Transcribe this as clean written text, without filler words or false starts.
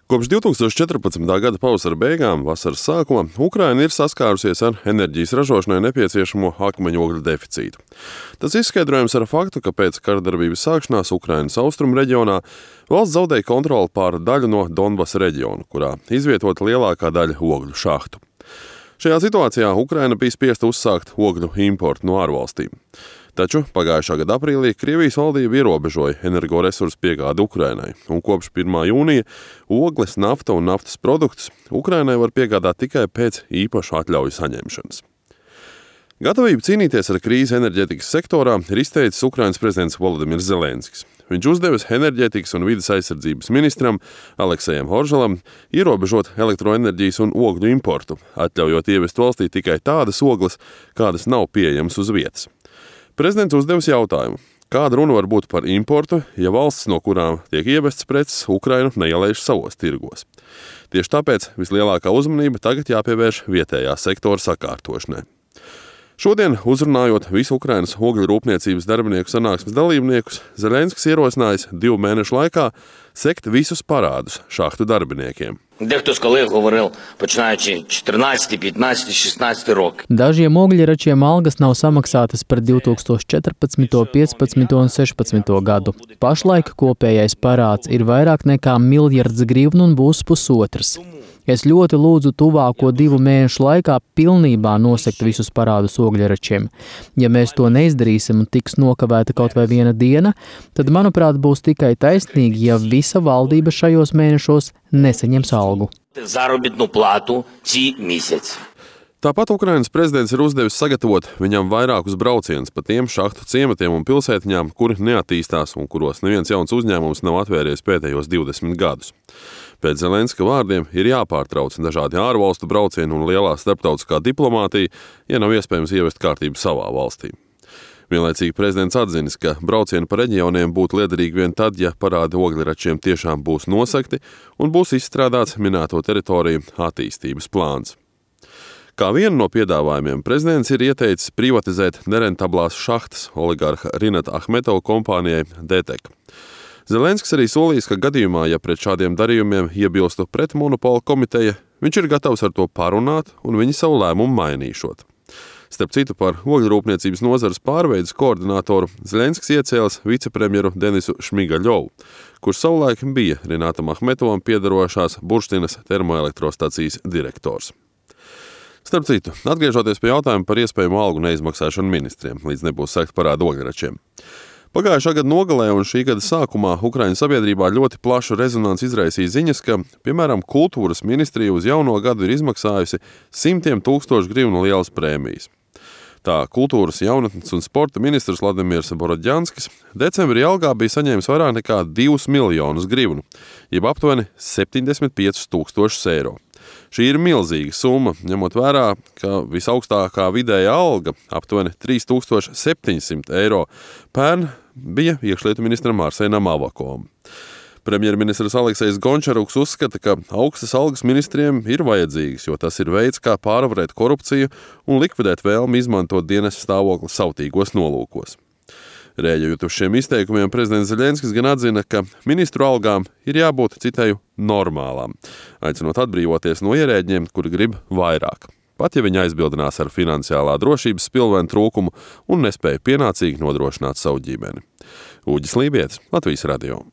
Kopš 2014. gada pavasara beigām, vasaras sākuma, Ukraina ir saskārusies ar enerģijas ražošanai nepieciešamo akmeņogļu deficītu. Tas izskaidrojams ar faktu, ka pēc karadarbības sākšanās Ukrainas austrumu reģionā valsts zaudēja kontroli pār daļu no Donbasa reģiona, kurā izvietota lielākā daļa ogļu šahtu. Šajā situācijā Ukraina bija spiesta uzsākt ogļu importu no ārvalstīm. Taču pagājušā gada aprīlī Krievijas valdība ierobežoja energoresursu piegādi Ukrainai, un kopš 1. jūnija ogles, nafta un naftas produktus Ukrainai var piegādāt tikai pēc īpašu atļauju saņemšanas. Gatavību cīnīties ar krīzi enerģētikas sektorā ir izteicis Ukrainas prezidents Volodimirs Zelenskis. Viņš uzdevis enerģētikas un vides aizsardzības ministram Aleksejam Horžalam ierobežot elektroenerģijas un ogļu importu, atļaujot ievest valstī tikai tādas ogles, kādas nav pieejamas uz vietas. Prezidents uzdevis jautājumu, kāda runa var būt par importu, ja valsts, no kurām tiek ievestas preces, Ukrainu neielaiž savos tirgos. Tieši tāpēc vislielākā uzmanība tagad jāpievērš vietējā sektora sakārtošanai. Šodien, uzrunājot visu Ukrainas ogļu rūpniecības darbinieku sanāksmes dalībniekus, Zelenskis ierosinājis 2 mēnešu laikā sekt visus parādus šahtu darbiniekiem. Дехто з колег говорив, починаючи 14, 15, 16 роки. Dažiem ogļračiem algas nav samaksātas par 2014, 15 un 16 gadu. Pašlaik kopējais parāds ir vairāk nekā 1 miljards grivnu un būs pusotrs. Es ļoti lūdzu tuvāko 2 mēnešu laikā pilnībā nosegt visus parādus ogļračiem. Ja mēs to neizdarīsim un tiks nokavēta kaut vai 1 diena, tad, manuprāt, būs tikai taisnīgi, ja visa valdība šajos mēnešos nesaņems algu. Заробітну плату ці місяці. Tāpat Ukrainas prezidents ir uzdevis sagatavot viņam vairākus braucienus pa tiem šahtu ciematiem un pilsētiņām, kuri neattīstās un kuros neviens jauns uzņēmums nav atvērties pēdējos 20 gadus. Pēc Zelenska vārdiem ir jāpārtrauc dažādi ārvalstu braucieni un lielā starptautiskā diplomātija, ja nav iespējams ievest kārtību savā valstī. Vienlaicīgi prezidents atzinis, ka braucieni pa reģioniem būtu liederīgi vien tad, ja parādi ogļračiem tiešām būs nosegti un būs izstrādāts minēto teritoriju attīstības plāns. Kā vienu no piedāvājumiem prezidents ir ieteicis privatizēt nerentablās šahtas oligarha Rinata Ahmetova kompānijai DTEK. Zelenskis arī solījis, ka gadījumā, ja pret šādiem darījumiem iebilstu pretmonopola komiteja, viņš ir gatavs ar to parunāt un viņi savu lēmumu mainīšot. Starp citu, par ogļrūpniecības nozares pārveides koordinātoru Zelenskis iecēlis vicepremjeru Denisu Šmigaļovu, kurš savulaik bija Rinatam Ahmetovam piederošās Burštinas termoelektrostacijas direktors. Starp citu, atgriežoties pie jautājuma par iespējamu algu neizmaksāšanu ministriem, līdz nebūs sekt parādu ogļračiem. Pagājušā gada nogalē un šī gada sākumā Ukraiņas sabiedrībā ļoti plašu rezonanci izraisīja ziņas, ka, piemēram, kultūras ministrija uz jauno gadu ir izmaksājusi 100 000 grivnu lielas prēmijas. Tā kultūras, jaunatnes un sporta ministrs Vladimirs Borodjanskis decembrī algā bija saņēmis vairāk nekā 2 miljonus grivnu, jeb aptuveni 75 000 eiro. Šī ir milzīga summa, ņemot vērā, ka visaugstākā vidējā alga, aptuveni 3700 eiro, pērn bija iekšlietu ministram Arsenam Avakovam. Premjerministrs Aleksejs Gončaruks uzskata, ka augstas algas ministriem ir vajadzīgas, jo tas ir veids, kā pārvarēt korupciju un likvidēt vēlmi izmantot dienesta stāvokli savtīgos nolūkos. Rēģējot uz šiem izteikumiem, prezidents Zelenskis gan atzina, ka ministru algām ir jābūt, citēju, normālām, aicinot atbrīvoties no ierēģiem, kuri grib vairāk, pat ja viņi aizbildinās ar finansiālā drošības spilvenu trūkumu un nespēja pienācīgi nodrošināt savu ģimeni. Uģis Lībietis, Latvijas radio.